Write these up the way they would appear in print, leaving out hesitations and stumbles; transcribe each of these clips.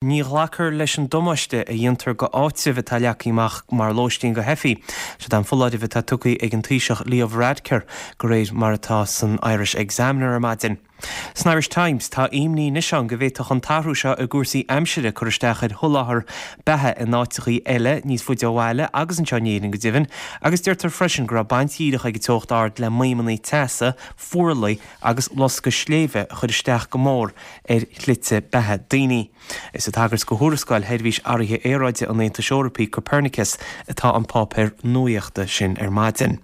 Ní ghlacfar leis an damáiste a dhéantar go áitribh atá leagtha amach mar lóistín go theifigh. Siod é an foláireamh atá tugtha ag an Taoiseach Leo Varadkar, de réir mar atá san Irish Examiner ar maidin. San Irish Times, tá imní anois ann go bhféadfadh an t-athrú seo i gcúrsaí aimsire cur isteach ar sholáthar beatha in áiteachaí eile níos faide ó bhaile agus anseo in Éirinn go deimhin, agus deirtear freisin go raibh baint dhíreach ag an teocht ard le maidhmeanna teasa, fuarlaigh agus loscadh sléibhe a chuir isteach go mór ar shlite beatha daoine. Is ag tagairt go thuarascáil Sheirbhís Athraithe Aeráide an Aontais Eorpaigh, Copernicus, atá an páipéar nuaíochta sin ar maidin.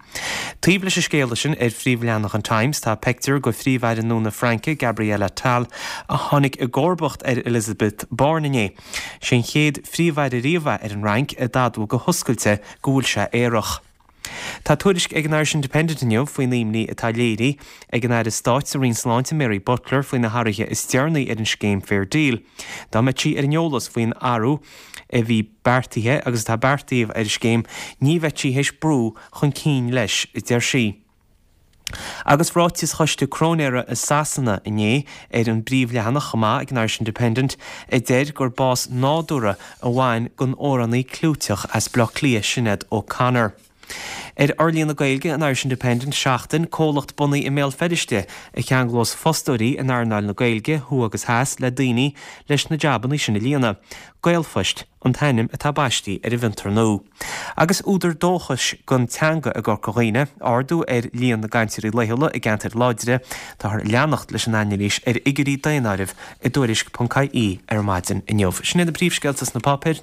Taobh leis an scéala sin, ar phríomhleathanach an Times, tá peictiúr go Phríomh-Aire nua na Fraince, Gabriel Attal, a tháinig i gcomharbacht ar Elisabeth Borne inné. Sé an chéad Phríomh-Aire riamh é ar an Fhrainc a d'admhaigh go hoscailte go bhfuil sé aerach. Tá tuairisc ag an Irish Independent inniu faoin imní atá léirithe ag an Aire Stáit sa Roinn Sláinte Mary Butler faoi na hathruithe is deireanaí ar an scéim Fair Deal. Dá mbeadh sí ar an eolas faoin athrú a bhí beartaithe agus atá beartaithe ar an scéim ní bheadh sí théis brú chun cinn leis, a deir sí. Agus ráiteas Choiste Cróinéara i Sasana inné ar an bpríomhleathanach chomh maith ag an Irish Independent a deir gur bás nádúrtha a bhain don amhránaí clúiteach as Baile Átha Cliath Sinéad O'Connor. Ar fhorlíonadh Gaeilge an Irish Independent Seachtain, comhlacht bunaithe i mBéal Feirste a cheanglós fostóirí in earnáil na Gaeilge, thuaidh agus theas, le daoine leis na jabanna sin a líonadh. Gaelphoist an t-ainm atá baistí ar an bhfiontar nua. Agus údar dóchais don teanga i gCorca Dhuibhne, ardú ar líon na gcainteoirí laethúla i gceantair láidre, táthar ag leanacht leis an anailís ar fhigiúirí daonáirimh i dTuairisc.ie ar maidin inniu. Sin iad na príomhscéalta sna páipéir.